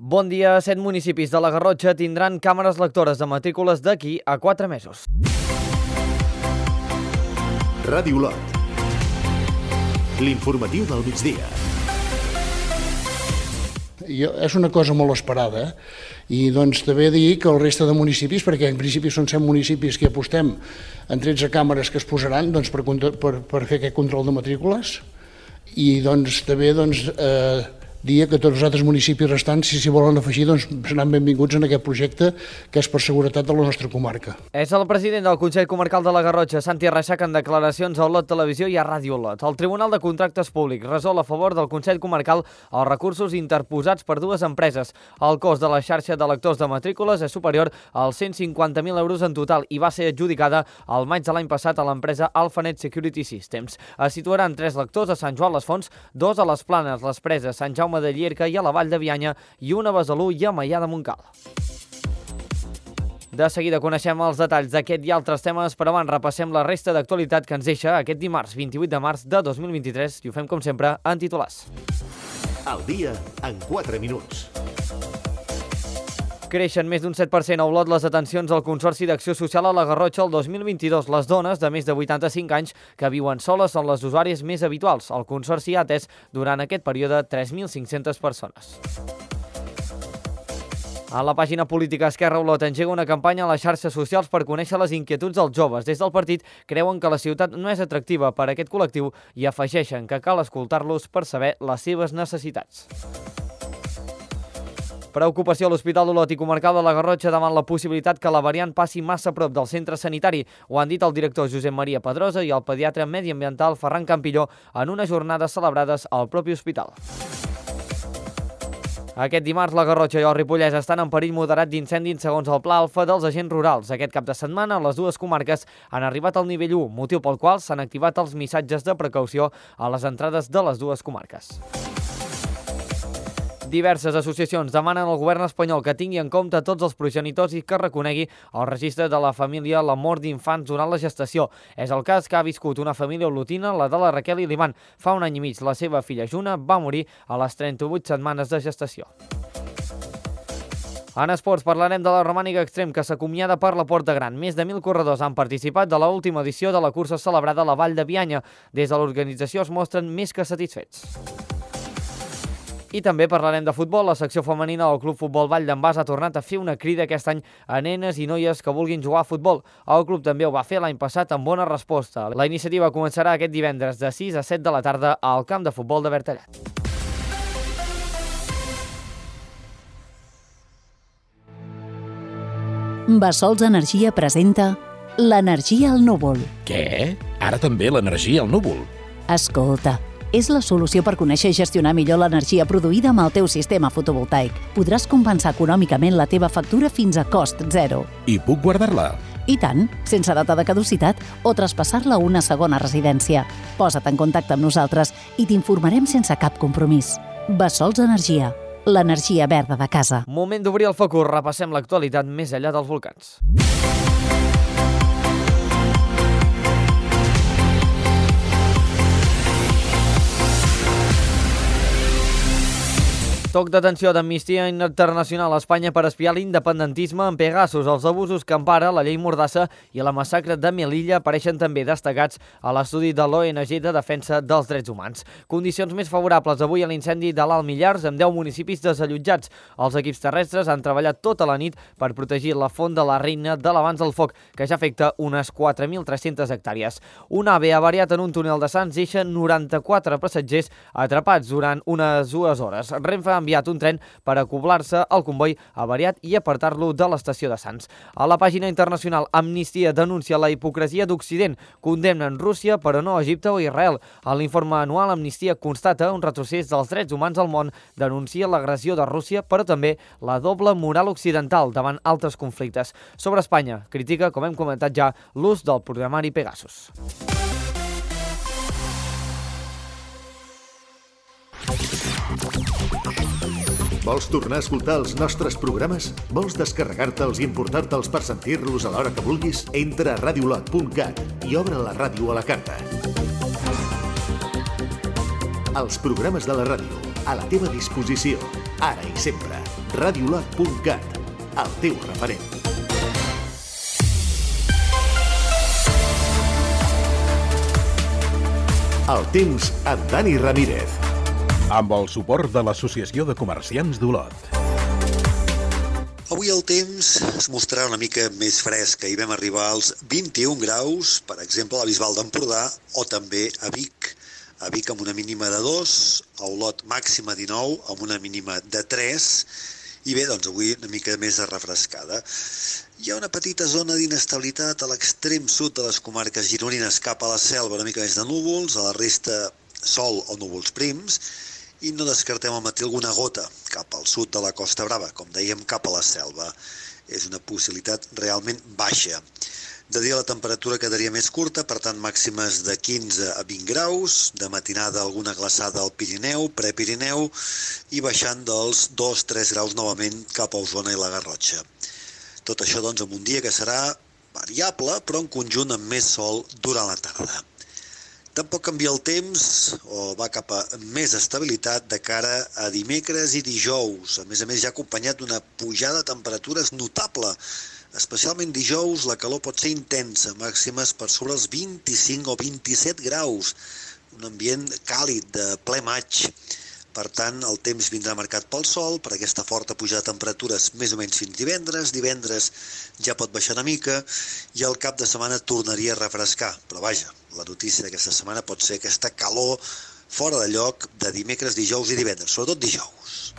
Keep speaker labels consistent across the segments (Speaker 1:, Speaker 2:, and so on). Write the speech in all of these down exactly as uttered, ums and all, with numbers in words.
Speaker 1: Bon dia. Set municipis de la Garrotxa tindran càmeres lectores de matrícules d'aquí a quatre mesos.
Speaker 2: Ràdio Olot. L'informatiu del migdia.
Speaker 3: Jo, és una cosa molt esperada, i doncs també dir que el resta de municipis, perquè en principi són set municipis que apostem en tretze càmeres que es posaran doncs, per, per, per fer aquest control de matrícules, i doncs també doncs, eh, dir que tots els altres municipis restants, si s'hi volen afegir, doncs seran benvinguts en aquest projecte que és per seguretat de la nostra comarca.
Speaker 1: És el president del Consell Comarcal de la Garrotxa, Santi Reixac, en declaracions a Olot Televisió i a Ràdio Olot. El Tribunal de Contractes Públics resol a favor del Consell Comarcal els recursos interposats per dues empreses. El cost de la xarxa de lectors de matrícules és superior als cent cinquanta mil euros en total i va ser adjudicada al maig de l'any passat a l'empresa Alphanet Security Systems. Es situaran tres lectors a Sant Joan les Fonts, dos a les Planes, les Preses, Sant Jaume de Llierca i a la Vall de Bianya i una a Besalú i a Maià de Montcal. De seguida coneixem els detalls d'aquest i altres temes, però abans repassem la resta d'actualitat que ens deixa aquest dimarts vint-i-vuit de març de dos mil vint-i-tres i ho fem com sempre en titulars.
Speaker 2: El dia en quatre minuts.
Speaker 1: Creixen més d'un set per cent a Olot les atencions al Consorci d'Acció Social a la Garrotxa el dos mil vint-i-dos. Les dones de més de vuitanta-cinc anys que viuen soles són les usuàries més habituals. El Consorci ha atès durant aquest període tres mil cinc-centes persones. A la pàgina política Esquerra Olot engega una campanya a les xarxes socials per conèixer les inquietuds dels joves. Des del partit creuen que la ciutat no és atractiva per a aquest col·lectiu i afegeixen que cal escoltar-los per saber les seves necessitats. Preocupació a l'Hospital d'Olot i Comarcal de la Garrotxa davant la possibilitat que la variant passi massa a prop del centre sanitari. Ho han dit el director Josep Maria Pedrosa i el pediatre mediambiental Ferran Campilló en unes jornades celebrades al propi hospital. Aquest dimarts, la Garrotxa i el Ripollès estan en perill moderat d'incendis segons el Pla Alfa dels agents rurals. Aquest cap de setmana, les dues comarques han arribat al nivell u, motiu pel qual s'han activat els missatges de precaució a les entrades de les dues comarques. Diverses associacions demanen al govern espanyol que tingui en compte tots els progenitors i que reconegui el registre de la família la mort d'infants durant la gestació. És el cas que ha viscut una família olotina, la de la Raquel i l'Ivan. Fa un any i mig la seva filla Juna va morir a les trenta-vuit setmanes de gestació. En esports parlarem de la Romànica Extrem, que s'acomiada per la Porta Gran. Més de mil corredors han participat de l'última edició de la cursa celebrada a la Vall de Bianya. Des de l'organització es mostren més que satisfets. I també parlarem de futbol. La secció femenina del Club Futbol Vall d'en Bas ha tornat a fer una crida aquest any a nenes i noies que vulguin jugar a futbol. El club també ho va fer l'any passat amb bona resposta. La iniciativa començarà aquest divendres de sis a set de la tarda al camp de futbol de Bertallat.
Speaker 4: Bassols Energia presenta l'energia al núvol.
Speaker 5: Què? Ara també l'energia al núvol?
Speaker 4: Escolta, és la solució per conèixer i gestionar millor l'energia produïda amb el teu sistema fotovoltaic. Podràs compensar econòmicament la teva factura fins a cost zero.
Speaker 5: I puc guardar-la?
Speaker 4: I tant, sense data de caducitat o traspassar-la a una segona residència. Posa't en contacte amb nosaltres i t'informarem sense cap compromís. Bassols Energia, l'energia verda de casa.
Speaker 1: Moment d'obrir el focus, repassem l'actualitat més enllà dels volcans. Toc d'atenció d'Amnistia Internacional a Espanya per espiar l'independentisme en Pegasus. Els abusos que empara la llei Mordassa i la massacre de Melilla apareixen també destacats a l'estudi de l'O N G de Defensa dels Drets Humans. Condicions més favorables avui a l'incendi de l'Alt Millars amb deu municipis desallotjats. Els equips terrestres han treballat tota la nit per protegir la font de la Reina de l'abans del foc, que ja afecta unes quatre mil tres-centes hectàrees. Un ave avariat en un túnel de Sants deixa noranta-quatre passatgers atrapats durant unes dues hores. Renfe ha enviat un tren per acoblar-se al comboi avariat i apartar-lo de l'estació de Sants. A la pàgina internacional, Amnistia denuncia la hipocresia d'Occident, condemnen Rússia però no Egipte o Israel. A l'informe anual, Amnistia constata un retrocés dels drets humans al món, denuncia l'agressió de Rússia però també la doble moral occidental davant altres conflictes. Sobre Espanya, critica, com hem comentat ja, l'ús del programari Pegasus.
Speaker 2: Vols tornar a escoltar els nostres programes? Vols descarregar-te'ls i emportar-te'ls per sentir-los a l'hora que vulguis? Entra a ràdio olot punt cat i obre la ràdio a la carta. Els programes de la ràdio, a la teva disposició, ara i sempre. radiolot punt cat, el teu referent. El temps amb Dani Ramírez.
Speaker 5: Amb el suport de l'Associació de Comerciants d'Olot.
Speaker 6: Avui el temps es mostrarà una mica més fresc. Ahir vam arribar als vint-i-un graus, per exemple, a la Bisbal d'Empordà o també a Vic. A Vic amb una mínima de dos, a Olot màxima dinou, amb una mínima de tres, i bé, doncs avui una mica més de refrescada. Hi ha una petita zona d'inestabilitat a l'extrem sud de les comarques gironines cap a la selva, una mica més de núvols, a la resta sol o núvols prims, i no descartem al matí alguna gota cap al sud de la Costa Brava, com dèiem, cap a la selva. És una possibilitat realment baixa. De dia la temperatura quedaria més curta, per tant màximes de quinze a vint graus, de matinada alguna glaçada al Pirineu, Prepirineu, i baixant dels dos a tres graus novament cap a Osona i la Garrotxa. Tot això doncs amb un dia que serà variable, però en conjunt amb més sol durant la tarda. Tampoc canvia el temps, o va cap a més estabilitat de cara a dimecres i dijous. A més a més, ja acompanyat d'una pujada de temperatures notable. Especialment dijous, la calor pot ser intensa, màximes per sobre els vint-i-cinc o vint-i-set graus. Un ambient càlid de ple maig. Per tant, el temps vindrà marcat pel sol, per aquesta forta pujada de temperatures més o menys fins divendres. Divendres ja pot baixar una mica i el cap de setmana tornaria a refrescar. Però vaja, la notícia d'aquesta setmana pot ser aquesta calor fora de lloc de dimecres, dijous i divendres, sobretot dijous.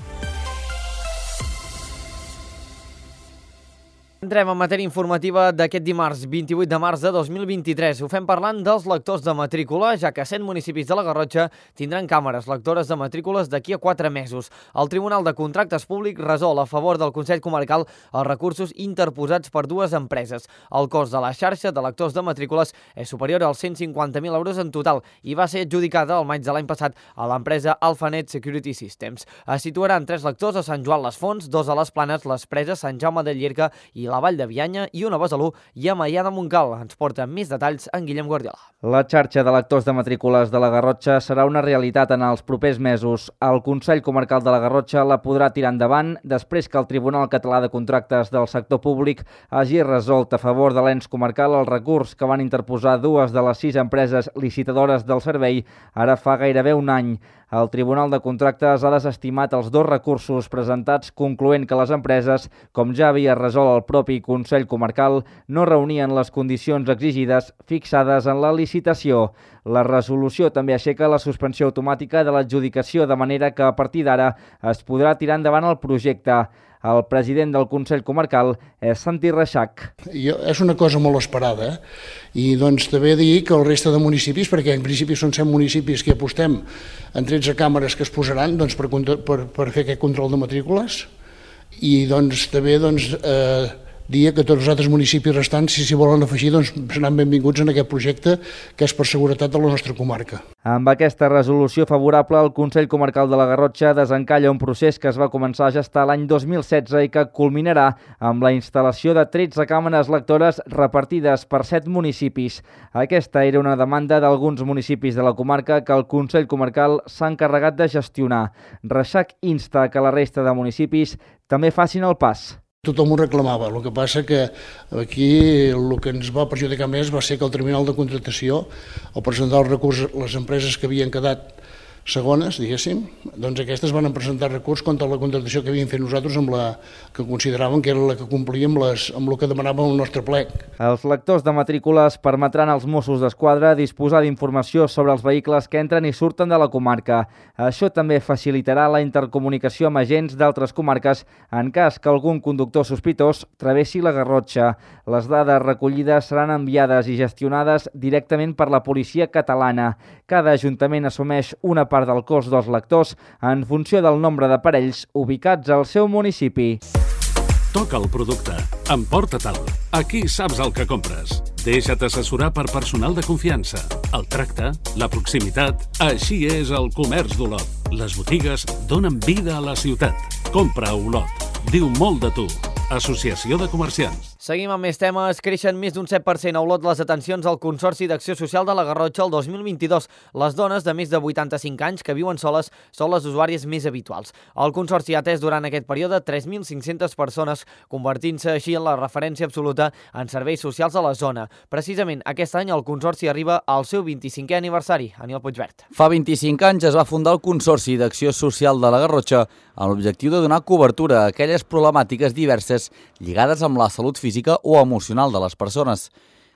Speaker 1: Entrem en matèria informativa d'aquest dimarts, vint-i-vuit de març de dos mil vint-i-tres. Ho fem parlant dels lectors de matrícula, ja que cent municipis de la Garrotxa tindran càmeres lectores de matrícules d'aquí a quatre mesos. El Tribunal de Contractes Públics resol a favor del Consell Comarcal els recursos interposats per dues empreses. El cost de la xarxa de lectors de matrícules és superior als cent cinquanta mil euros en total i va ser adjudicada el maig de l'any passat a l'empresa Alphanet Security Systems. Es situaran tres lectors a Sant Joan les Fonts, dos a les Planes, les Preses, Sant Jaume de Llierca i la Vall de Bianya i una a Besalú i a Maià de Montcal. Ens porta més detalls en Guillem Guardiola.
Speaker 7: La xarxa de lectors de matrícules de la Garrotxa serà una realitat en els propers mesos. El Consell Comarcal de la Garrotxa la podrà tirar endavant després que el Tribunal Català de Contractes del Sector Públic hagi resolt a favor de l'ens comarcal el recurs que van interposar dues de les sis empreses licitadores del servei ara fa gairebé un any. El Tribunal de Contractes ha desestimat els dos recursos presentats, concloent que les empreses, com ja havia resolt el propi Consell Comarcal, no reunien les condicions exigides fixades en la licitació. La resolució també aixeca la suspensió automàtica de l'adjudicació, de manera que a partir d'ara es podrà tirar endavant el projecte. El president del Consell Comarcal és Santi Reixac.
Speaker 3: És una cosa molt esperada, eh? I doncs també dir que el resta de municipis, perquè en principi són cent municipis que apostem en tretze càmeres que es posaran doncs, per, per, per fer aquest control de matrícules, i doncs també doncs, eh, dir que tots els altres municipis restants, si s'hi volen afegir, doncs seran benvinguts en aquest projecte que és per seguretat de la nostra comarca.
Speaker 7: Amb aquesta resolució favorable, el Consell Comarcal de la Garrotxa desencalla un procés que es va començar a gestar l'any dos mil setze i que culminarà amb la instal·lació de tretze càmeres lectores repartides per set municipis. Aquesta era una demanda d'alguns municipis de la comarca que el Consell Comarcal s'ha encarregat de gestionar. Reixac insta que la resta de municipis també facin el pas.
Speaker 3: Tothom ho reclamava, el que passa que aquí el que ens va perjudicar més va ser que el Tribunal de Contractació, al presentar el recurs, les empreses que havien quedat segones, diguéssim, doncs aquestes van presentar recurs contra la contractació que havíem fet nosaltres amb la que consideraven que era la que complia amb, les, amb el que demanàvem el nostre plec.
Speaker 7: Els lectors de matrícules permetran als Mossos d'Esquadra disposar d'informació sobre els vehicles que entren i surten de la comarca. Això també facilitarà la intercomunicació amb agents d'altres comarques en cas que algun conductor sospitós travessi la Garrotxa. Les dades recollides seran enviades i gestionades directament per la policia catalana. Cada ajuntament assumeix una part del cost dels lectors en funció del nombre d'aparells ubicats al seu municipi.
Speaker 8: Toca el producte, emporta-te'l. Aquí saps el que compres. Deixa't assessorar per personal de confiança. El tracte, la proximitat, així és el comerç d'Olot. Les botigues donen vida a la ciutat. Compra a Olot. Diu molt de tu. Associació de Comerciants.
Speaker 1: Seguim amb més temes. Creixen més d'un set per cent a Olot les atencions al Consorci d'Acció Social de la Garrotxa el dos mil vint-i-dos. Les dones de més de vuitanta-cinc anys que viuen soles són les usuàries més habituals. El Consorci ha atès durant aquest període tres mil cinc-centes persones, convertint-se així en la referència absoluta en serveis socials a la zona. Precisament aquest any el Consorci arriba al seu vint-i-cinquè aniversari. Aniol Puigvert.
Speaker 9: Fa vint-i-cinc anys es va fundar el Consorci d'Acció Social de la Garrotxa amb l'objectiu de donar cobertura a aquelles problemàtiques diverses lligades amb la salut física o emocional de les persones.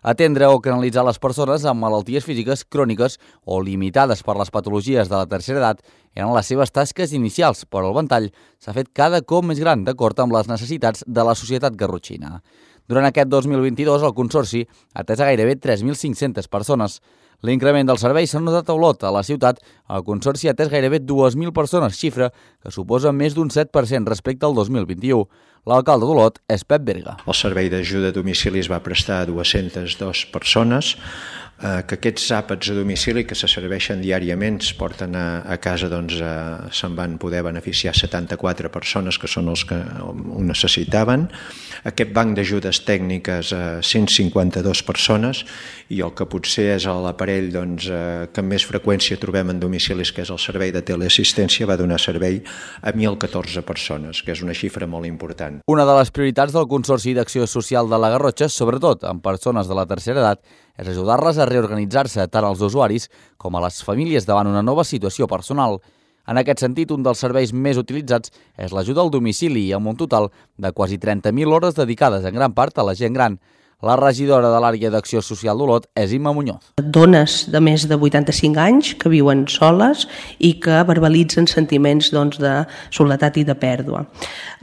Speaker 9: Atendre o canalitzar les persones amb malalties físiques cròniques o limitades per les patologies de la tercera edat eren les seves tasques inicials, però el ventall s'ha fet cada cop més gran d'acord amb les necessitats de la societat garrotxina. Durant aquest dos mil vint-i-dos, el Consorci ha atès a gairebé tres mil cinc-centes persones. L'increment del servei s'ha notat a Olot. A la ciutat, el Consorci ha atès gairebé dues mil persones, xifra que suposa més d'un set per cent respecte al dos mil vint-i-u. L'alcalde d'Olot és Pep Berga.
Speaker 10: El servei d'ajuda a domicili es va prestar a dues-centes dues persones, eh, que aquests àpats a domicili que se serveixen diàriament es porten a, a casa, doncs eh, se'n van poder beneficiar setanta-quatre persones que són els que ho necessitaven. Aquest banc d'ajudes tècniques a cent cinquanta-dues persones i el que potser és l'aparell doncs, eh, que amb més freqüència trobem en domicilis, que és el servei de teleassistència, va donar servei a mil catorze persones, que és una xifra molt important.
Speaker 9: Una de les prioritats del Consorci d'Acció Social de la Garrotxa, sobretot amb persones de la tercera edat, és ajudar-les a reorganitzar-se tant als usuaris com a les famílies davant una nova situació personal. En aquest sentit, un dels serveis més utilitzats és l'ajuda al domicili, amb un total de quasi trenta mil hores dedicades en gran part a la gent gran. La regidora de l'àrea d'Acció Social d'Olot és Imma Muñoz.
Speaker 11: Dones de més de vuitanta-cinc anys que viuen soles i que verbalitzen sentiments doncs, de soledat i de pèrdua.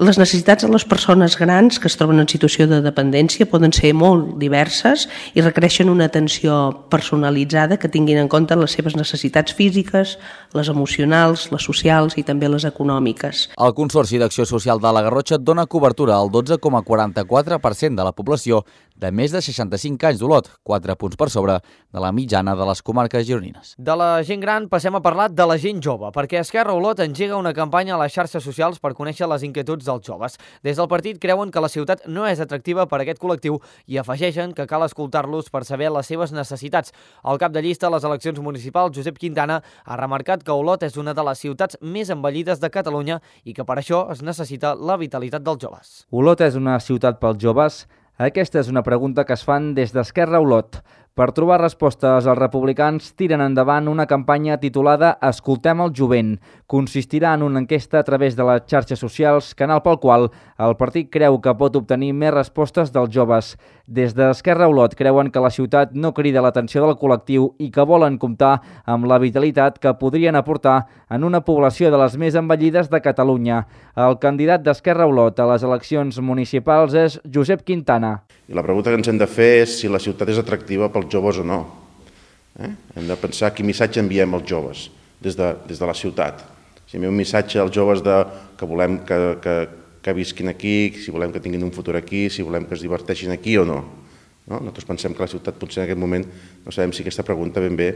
Speaker 11: Les necessitats de les persones grans que es troben en situació de dependència poden ser molt diverses i requereixen una atenció personalitzada que tinguin en compte les seves necessitats físiques, les emocionals, les socials i també les econòmiques.
Speaker 9: El Consorci d'Acció Social de la Garrotxa dona cobertura al dotze coma quaranta-quatre per cent de la població de més de seixanta-cinc anys d'Olot, quatre punts per sobre de la mitjana de les comarques gironines.
Speaker 1: De la gent gran passem a parlar de la gent jove, perquè Esquerra Olot engega una campanya a les xarxes socials per conèixer les inquietuds dels joves. Des del partit creuen que la ciutat no és atractiva per a aquest col·lectiu i afegeixen que cal escoltar-los per saber les seves necessitats. El cap de llista a les eleccions municipals, Josep Quintana, ha remarcat que Olot és una de les ciutats més envellides de Catalunya i que per això es necessita la vitalitat dels joves.
Speaker 7: Olot és una ciutat pels joves? Aquesta és una pregunta que es fan des d'Esquerra Olot. Per trobar respostes, els republicans tiren endavant una campanya titulada Escoltem el jovent. Consistirà en una enquesta a través de les xarxes socials, canal pel qual el partit creu que pot obtenir més respostes dels joves. Des d'Esquerra Olot creuen que la ciutat no crida l'atenció del col·lectiu i que volen comptar amb la vitalitat que podrien aportar en una població de les més envellides de Catalunya. El candidat d'Esquerra Olot a les eleccions municipals és Josep Quintana.
Speaker 12: I la pregunta que ens hem de fer és si la ciutat és atractiva pels joves o no. Eh? Hem de pensar quin missatge enviem als joves des de, des de la ciutat. Si enviem un missatge als joves de, que volem que, que, que visquin aquí, si volem que tinguin un futur aquí, si volem que es diverteixin aquí o no. no? Nosaltres pensem que la ciutat potser en aquest moment no sabem si aquesta pregunta ben bé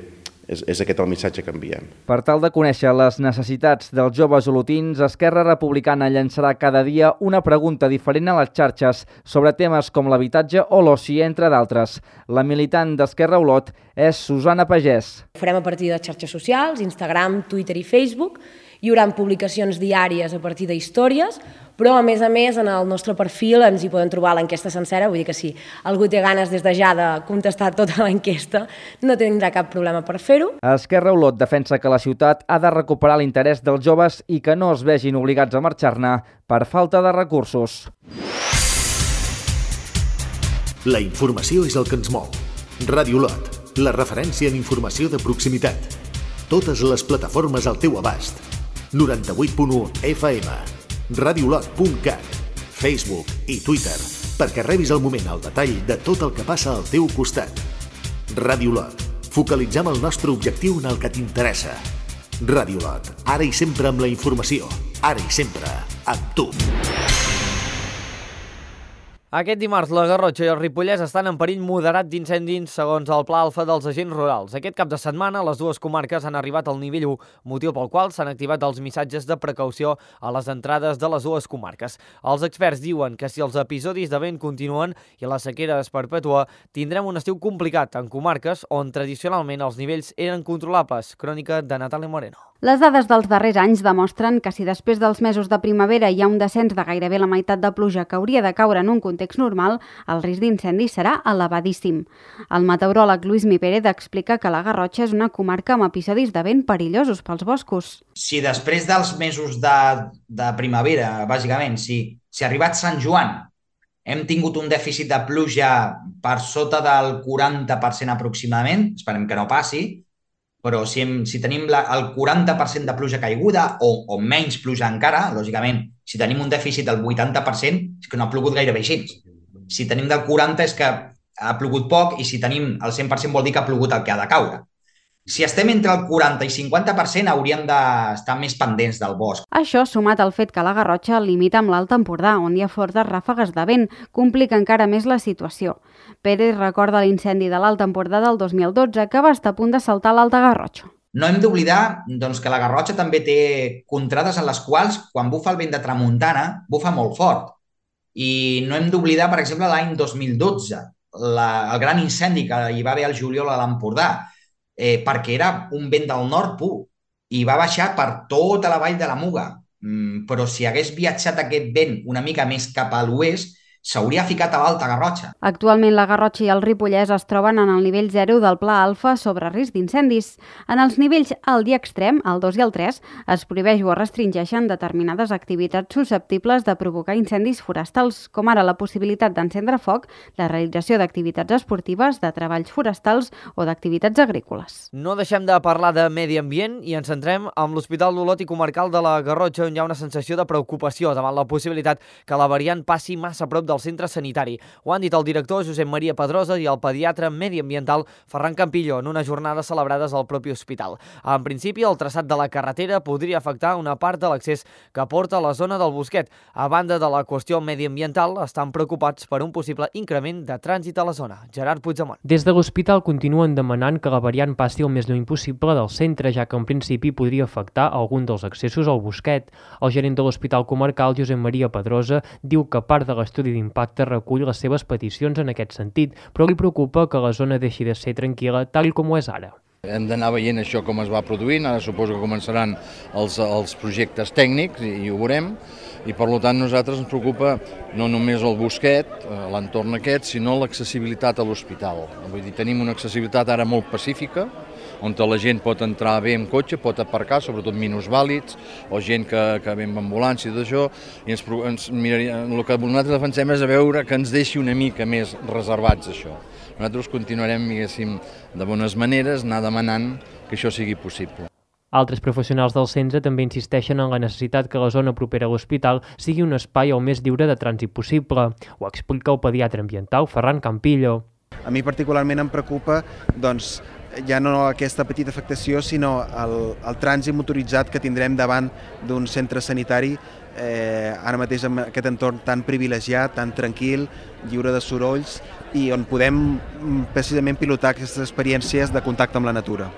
Speaker 12: és, és aquest el missatge que enviem.
Speaker 7: Per tal de conèixer les necessitats dels joves olotins, Esquerra Republicana llançarà cada dia una pregunta diferent a les xarxes sobre temes com l'habitatge o l'oci, entre d'altres. La militant d'Esquerra Olot és Susana Pagès.
Speaker 13: Farem a partir de xarxes socials, Instagram, Twitter i Facebook. Hi haurà publicacions diàries a partir d'històries, però a més a més en el nostre perfil ens hi poden trobar l'enquesta sencera, vull dir que si algú té ganes des de ja de contestar tota l'enquesta, no tindrà cap problema per fer-ho.
Speaker 7: Esquerra Olot defensa que la ciutat ha de recuperar l'interès dels joves i que no es vegin obligats a marxar-ne per falta de recursos.
Speaker 2: La informació és el que ens mou. Ràdio Olot, la referència en informació de proximitat. Totes les plataformes al teu abast. noranta-vuit punt u F M, radiolot punt cat, Facebook i Twitter, perquè rebis al moment el detall de tot el que passa al teu costat. Ràdio Olot, focalitzem el nostre objectiu en el que t'interessa. Ràdio Olot, ara i sempre amb la informació, ara i sempre amb tu.
Speaker 1: Aquest dimarts, la Garrotxa i el Ripollès estan en perill moderat d'incendis segons el Pla Alfa dels agents rurals. Aquest cap de setmana, les dues comarques han arribat al nivell u, motiu pel qual s'han activat els missatges de precaució a les entrades de les dues comarques. Els experts diuen que si els episodis de vent continuen i la sequera es perpetua, tindrem un estiu complicat en comarques on tradicionalment els nivells eren controlables. Crònica de Natàlia Moreno.
Speaker 14: Les dades dels darrers anys demostren que si després dels mesos de primavera hi ha un descens de gairebé la meitat de pluja que hauria de caure en un context normal, el risc d'incendi serà elevadíssim. El meteoròleg Lluís Mi Pérez explica que la Garrotxa és una comarca amb episodis de vent perillosos pels boscos.
Speaker 15: Si després dels mesos de, de primavera, bàsicament, si, si ha arribat Sant Joan, hem tingut un dèficit de pluja per sota del quaranta per cent aproximadament, esperem que no passi, però si, hem, si tenim la, el quaranta per cent de pluja caiguda o, o menys pluja encara, lògicament, si tenim un dèficit del vuitanta per cent, és que no ha plogut gairebé així. Si tenim del quaranta és que ha plogut poc i si tenim el cent per cent vol dir que ha plogut el que ha de caure. Si estem entre el quaranta i cinquanta per cent hauríem d'estar més pendents del bosc.
Speaker 14: Això, sumat al fet que la Garrotxa limita amb l'Alt Empordà, on hi ha fortes ràfegues de vent, complica encara més la situació. Pérez recorda l'incendi de l'Alt Empordà del dos mil dotze, que va estar a punt de saltar l'Alta Garrotxa.
Speaker 15: No hem d'oblidar doncs, que la Garrotxa també té contrades en les quals, quan bufa el vent de tramuntana, bufa molt fort. I no hem d'oblidar, per exemple, l'any dos mil dotze, la, el gran incendi que hi va haver al juliol a l'Empordà, eh, perquè era un vent del nord pur i va baixar per tota la vall de la Muga. Mm, però si hagués viatjat aquest vent una mica més cap a l'oest, s'hauria ficat a l'Alta Garrotxa.
Speaker 14: Actualment la Garrotxa i el Ripollès es troben en el nivell zero del Pla Alfa sobre risc d'incendis. En els nivells alt i extrem, el dos i el tres, es prohibeix o es restringeixen determinades activitats susceptibles de provocar incendis forestals, com ara la possibilitat d'encendre foc, la realització d'activitats esportives, de treballs forestals o d'activitats agrícoles.
Speaker 1: No deixem de parlar de medi ambient i ens centrem amb l'Hospital d'Olot i Comarcal de la Garrotxa, on hi ha una sensació de preocupació davant la possibilitat que la variant passi massa a prop del centre sanitari. Ho han dit el director Josep Maria Pedrosa i el pediatre mediambiental Ferran Campillo en unes jornades celebrades al propi hospital. En principi, el traçat de la carretera podria afectar una part de l'accés que porta a la zona del Bosquet. A banda de la qüestió mediambiental, estan preocupats per un possible increment de trànsit a la zona. Gerard Puigdemont.
Speaker 16: Des de l'hospital continuen demanant que la variant passi el més lluny possible del centre, ja que en principi podria afectar algun dels accessos al Bosquet. El gerent de l'Hospital Comarcal, Josep Maria Pedrosa, diu que part de l'estudi d'impacte recull les seves peticions en aquest sentit, però li preocupa que la zona deixi de ser tranquil·la tal com ho és ara.
Speaker 17: Hem d'anar veient això com es va produint, ara suposo que començaran els, els projectes tècnics i, i ho veurem, i per tant nosaltres ens preocupa no només el Bosquet, l'entorn aquest, sinó l'accessibilitat a l'hospital. Vull dir, tenim una accessibilitat ara molt pacífica, on la gent pot entrar bé amb cotxe, pot aparcar, sobretot minusvàlids, o gent que, que ve amb ambulància i tot això, i ens, ens miraria, el que nosaltres defensem és a veure que ens deixi una mica més reservats això. Nosaltres continuarem, diguéssim, de bones maneres, anar demanant que això sigui possible.
Speaker 16: Altres professionals del centre també insisteixen en la necessitat que la zona propera a l'hospital sigui un espai el més lliure de trànsit possible. Ho explica el pediatre ambiental Ferran Campillo.
Speaker 18: A mi particularment em preocupa, doncs, ja no aquesta petita afectació, sinó el, el trànsit motoritzat que tindrem davant d'un centre sanitari, eh, ara mateix amb aquest entorn tan privilegiat, tan tranquil, lliure de sorolls, i on podem precisament pilotar aquestes experiències de contacte amb la natura.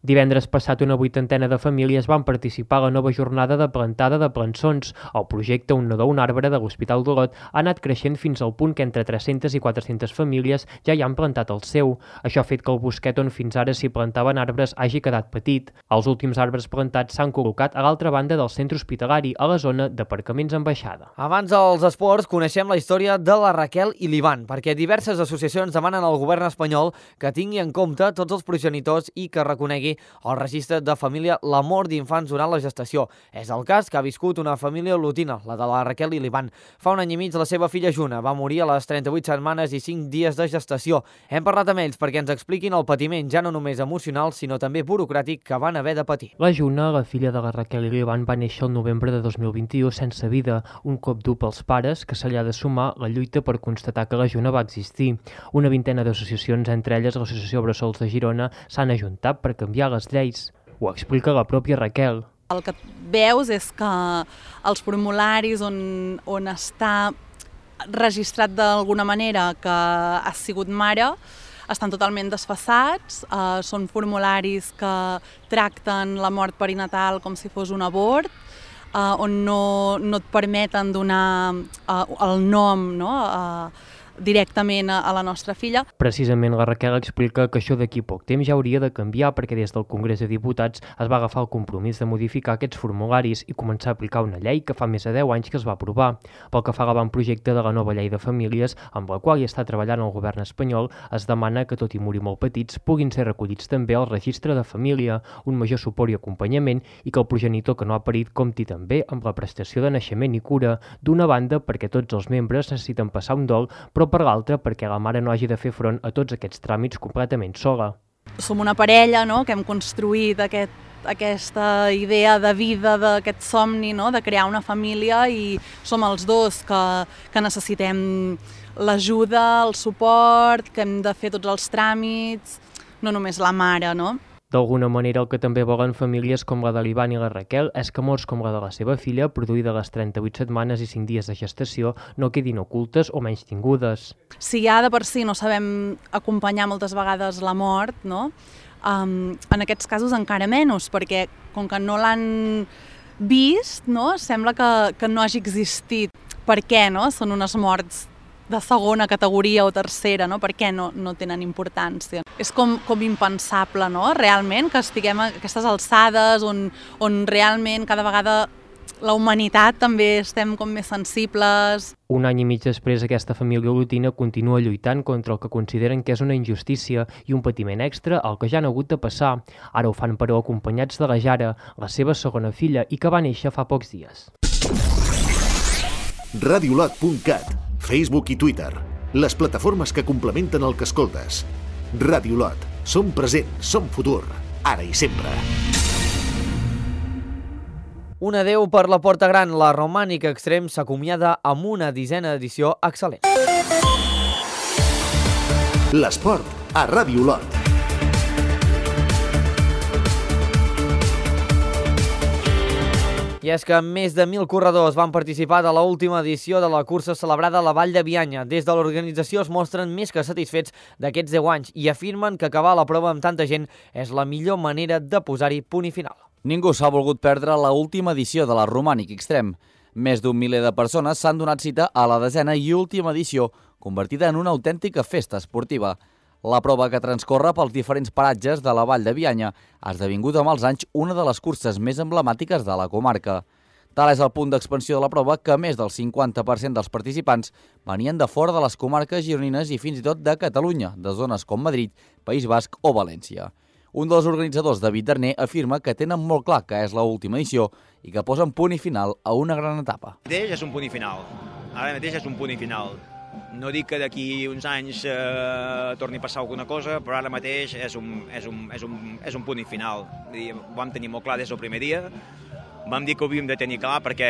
Speaker 16: Divendres passat, una vuitantena de famílies van participar a la nova jornada de plantada de plançons. El projecte Un nadó, un arbre de l'Hospital d'Olot ha anat creixent fins al punt que entre tres-centes i quatre-centes famílies ja hi han plantat el seu. Això ha fet que el bosquet on fins ara s'hi plantaven arbres hagi quedat petit. Els últims arbres plantats s'han col·locat a l'altra banda del centre hospitalari, a la zona d'aparcaments en baixada.
Speaker 1: Abans dels esports, coneixem la història de la Raquel i l'Ivan, perquè diverses associacions demanen al govern espanyol que tingui en compte tots els progenitors i que reconegui el registre de família la mort d'infants durant la gestació. És el cas que ha viscut una família olotina, la de la Raquel i l'Ivan. Fa un any i mig la seva filla Juna va morir a les trenta-vuit setmanes i cinc dies de gestació. Hem parlat amb ells perquè ens expliquin el patiment ja no només emocional, sinó també burocràtic que van haver de patir.
Speaker 16: La Juna, la filla de la Raquel i l'Ivan, va néixer el novembre de dos mil vint-i-u sense vida, un cop dur pels pares que se li ha de sumar la lluita per constatar que la Juna va existir. Una vintena d'associacions, entre elles l'Associació Bressols de Girona, s'han ajuntat per canviar les lleis. Ho explica la pròpia Raquel.
Speaker 19: El que veus és que els formularis on, on està registrat d'alguna manera que has sigut mare, estan totalment desfasats, eh, són formularis que tracten la mort perinatal com si fos un abort, eh, on no, no et permeten donar eh, el nom, no?, eh, directament a la nostra filla.
Speaker 16: Precisament la Raquel explica que això d'aquí poc temps ja hauria de canviar perquè des del Congrés de Diputats es va agafar el compromís de modificar aquests formularis i començar a aplicar una llei que fa més de deu anys que es va aprovar. Pel que fa a l'avantprojecte de la nova llei de famílies, amb la qual hi està treballant el govern espanyol, es demana que, tot i morir molt petits, puguin ser recollits també al registre de família, un major suport i acompanyament i que el progenitor que no ha parit compti també amb la prestació de naixement i cura, d'una banda perquè tots els membres necessiten passar un dol, però per l'altra perquè la mare no hagi de fer front a tots aquests tràmits completament sola.
Speaker 19: Som una parella, no?, que hem construït aquest, aquesta idea de vida, d'aquest somni, no?, de crear una família, i som els dos que, que necessitem l'ajuda, el suport, que hem de fer tots els tràmits, no només la mare, no?
Speaker 16: D'alguna manera, el que també volen famílies com la de l'Ivan i la Raquel és que morts com la de la seva filla, produïda a les trenta-vuit setmanes i cinc dies de gestació, no quedin ocultes o menys tingudes.
Speaker 19: Si ja de per si no sabem acompanyar moltes vegades la mort, no?, um, en aquests casos encara menys, perquè com que no l'han vist, no?, sembla que, que no hagi existit. Per què, no?, són unes morts de segona categoria o tercera, no?, per què no, no tenen importància. És com, com impensable, no?, realment, que estiguem a aquestes alçades on, on realment cada vegada la humanitat també estem com més sensibles.
Speaker 16: Un any i mig després, aquesta família olotina continua lluitant contra el que consideren que és una injustícia i un patiment extra al que ja han hagut de passar. Ara ho fan, però, acompanyats de la Jara, la seva segona filla, i que va néixer fa pocs dies.
Speaker 2: radiolot punt cat, Facebook i Twitter, les plataformes que complementen el que escoltes. Radiolot, som present, som futur, ara i sempre.
Speaker 1: Un adeu per la Porta Gran. La Romànica Extrem s'acomiada amb una disena edició excel·lent.
Speaker 2: L'esport a Radiolot.
Speaker 1: I és que més de mil corredors van participar de l'última edició de la cursa celebrada a la Vall de Bianya. Des de l'organització es mostren més que satisfets d'aquests deu anys i afirmen que acabar la prova amb tanta gent és la millor manera de posar-hi punt i final.
Speaker 9: Ningú s'ha volgut perdre la última edició de la Romànic Extrem. Més d'un miler de persones s'han donat cita a la desena i última edició, convertida en una autèntica festa esportiva. La prova, que transcorre pels diferents paratges de la Vall de Bianya, ha esdevingut amb els anys una de les curses més emblemàtiques de la comarca. Tal és el punt d'expansió de la prova que més del cinquanta per cent dels participants venien de fora de les comarques gironines i fins i tot de Catalunya, de zones com Madrid, País Basc o València. Un dels organitzadors, David Darner, afirma que tenen molt clar que és l'última edició i que posen punt i final a una gran etapa.
Speaker 20: Ara mateix és un punt i final. Ara mateix és un punt i final. No dic que d'aquí uns anys eh, torni a passar alguna cosa, però ara mateix és un, és un, és un, és un punt i final. Ho vam tenir molt clar des del primer dia. Vam dir que ho havíem de tenir clar perquè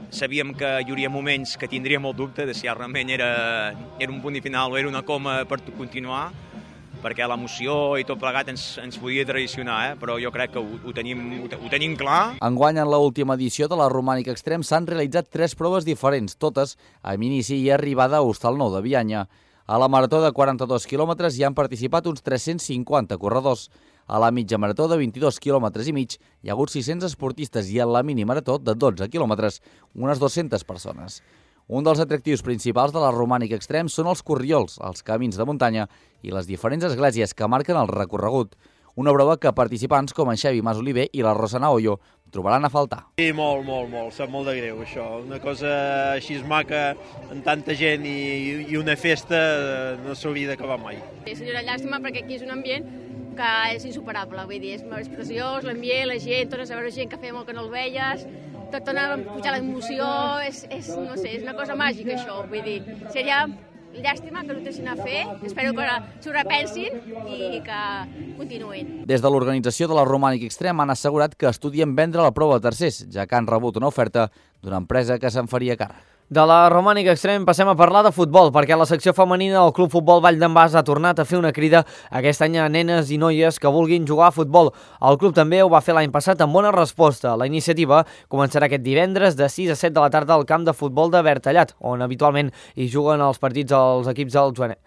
Speaker 20: sabíem que hi hauria moments que tindríem el dubte de si realment era, era un punt i final o era una coma per continuar, perquè l'emoció i tot plegat ens, ens podia traicionar, eh? Però jo crec que ho, ho, tenim, ho, ho tenim clar.
Speaker 9: Enguany, en l'última edició de la Romànica Extrem, s'han realitzat tres proves diferents, totes amb inici i arribada a Hostal Nou de Bianya. A la marató de quaranta-dos quilòmetres hi han participat uns tres-cents cinquanta corredors. A la mitja marató de vint-i-dos quilòmetres i mig hi ha hagut sis-cents esportistes i a la mini marató de dotze quilòmetres, unes dues-centes persones. Un dels atractius principals de la Romànica Extrem són els corriols, els camins de muntanya i les diferents esglésies que marquen el recorregut. Una prova que participants com en Xavi Masoliver i la Rosana Hoyo trobaran a faltar.
Speaker 21: Sí, molt, molt, molt. Sap molt de greu, això. Una cosa així maca, amb tanta gent i, i una festa, no s'hauria d'acabar mai.
Speaker 22: És una llàstima perquè aquí és un ambient que és insuperable. Vull dir, és, és preciós, l'ambient, la gent, tornes a veure gent que feia molt que no el veies, tot torna a pujar l'emoció, és, és, no sé, és una cosa màgica això. Vull dir, seria llàstima que no ho deixin a fer, espero que s'ho repensin i que continuïn.
Speaker 9: Des de l'organització de la Romànica Extrem han assegurat que estudien vendre la prova a tercers, ja que han rebut una oferta d'una empresa que se'n faria càrrec.
Speaker 1: De la romànica extrem passem a parlar de futbol, perquè la secció femenina del Club Futbol Vall d'en Bas ha tornat a fer una crida aquest any a nenes i noies que vulguin jugar a futbol. El club també ho va fer l'any passat amb bona resposta. La iniciativa començarà aquest divendres de sis a set de la tarda al camp de futbol de Bertallat, on habitualment hi juguen els partits als equips del Joanet.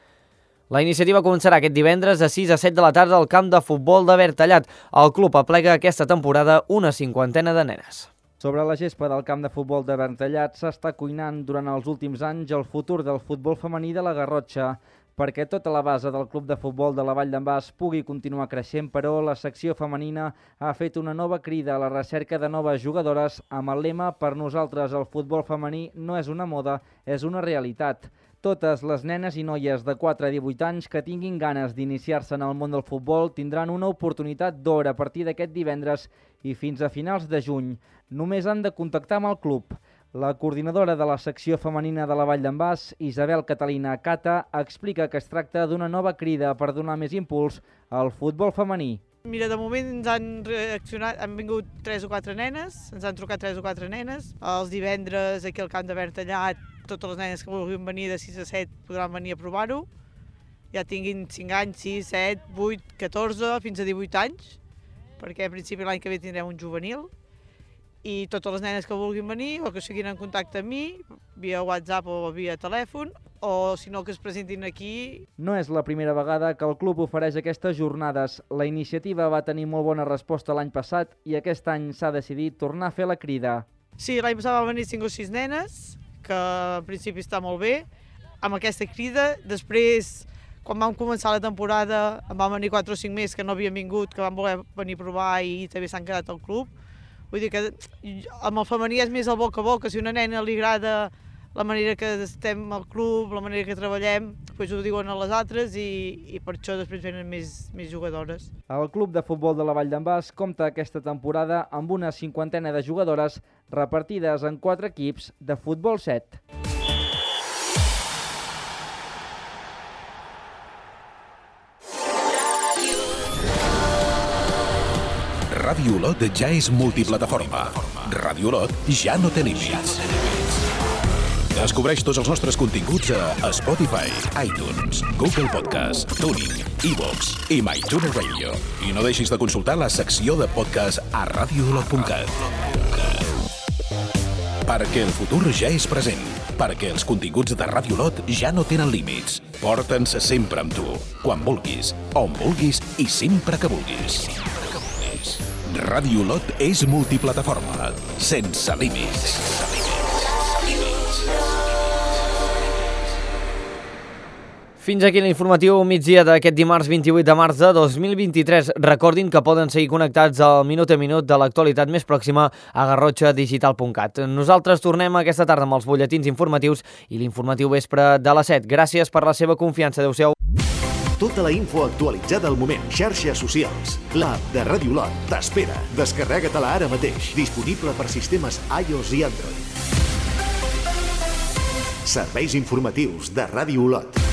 Speaker 1: La iniciativa començarà aquest divendres de sis a set de la tarda al camp de futbol de Bertallat. El club aplega aquesta temporada una cinquantena de nenes.
Speaker 7: Sobre la gespa del camp de futbol de Bertallat s'està cuinant durant els últims anys el futur del futbol femení de la Garrotxa. Perquè tota la base del club de futbol de la Vall d'en Bas pugui continuar creixent, però la secció femenina ha fet una nova crida a la recerca de noves jugadores amb el lema «Per nosaltres el futbol femení no és una moda, és una realitat». Totes les nenes i noies de quatre a divuit anys que tinguin ganes d'iniciar-se en el món del futbol tindran una oportunitat d'or a partir d'aquest divendres i fins a finals de juny. Només han de contactar amb el club. La coordinadora de la secció femenina de la Vall d'en Bas, Isabel Catalina Cata, explica que es tracta d'una nova crida per donar més impuls al futbol femení.
Speaker 4: Mira, de moment ens han reaccionat, han vingut tres o quatre nenes, ens han trucat tres o quatre nenes. Els divendres aquí al camp de Bertallat, totes les nenes que vulguin venir de sis a set podran venir a provar-ho. Ja tinguin cinc anys, sis, set, vuit, catorze, fins a divuit anys, perquè en principi l'any que ve tindrem un juvenil. I totes les nenes que vulguin venir o que siguin en contacte amb mi, via WhatsApp o via telèfon, o si no que es presentin aquí.
Speaker 7: No és la primera vegada que el club ofereix aquestes jornades. La iniciativa va tenir molt bona resposta l'any passat i aquest any s'ha decidit tornar a fer la crida.
Speaker 4: Sí, l'any passat va venir cinc o sis nenes, que en principi està molt bé, amb aquesta crida. Després, quan vam començar la temporada, en van venir quatre o cinc més que no havien vingut, que van voler venir a provar i també s'han quedat al club. Vull dir que amb el femení és més el boca a boca. Si a una nena li agrada la manera que estem al club, la manera que treballem, doncs ho diuen a les altres i, i per això després venen més, més jugadores.
Speaker 7: El club de futbol de la Vall d'en Bas compta aquesta temporada amb una cinquantena de jugadores repartides en quatre equips de futbol set.
Speaker 5: Ràdio Olot ja és multiplataforma. Ràdio Olot ja no té límits. Descobreix tots els nostres continguts a Spotify, iTunes, Google Podcast, Tuning, iVoox i MyTuner Radio. I no deixis de consultar la secció de podcast a radio olot punt cat. Perquè el futur ja és present. Perquè els continguts de Ràdio Olot ja no tenen límits. Porta'ns sempre amb tu, quan vulguis, on vulguis i sempre que vulguis. Ràdio Olot és multiplataforma, sense límits.
Speaker 1: Fins aquí l'informatiu migdia d'aquest dimarts vint-i-vuit de març de dos mil vint-i-tres. Recordin que poden seguir connectats al minut a minut de l'actualitat més pròxima a garrotxa digital punt cat. Nosaltres tornem aquesta tarda amb els butlletins informatius i l'informatiu vespre de les set. Gràcies per la seva confiança. Adéu-siau.
Speaker 2: Tota la info actualitzada al moment. Xarxes socials. L'app de Ràdio Olot t'espera. Descarrega-te-la ara mateix. Disponible per sistemes iOS i Android. Serveis informatius de Ràdio Olot.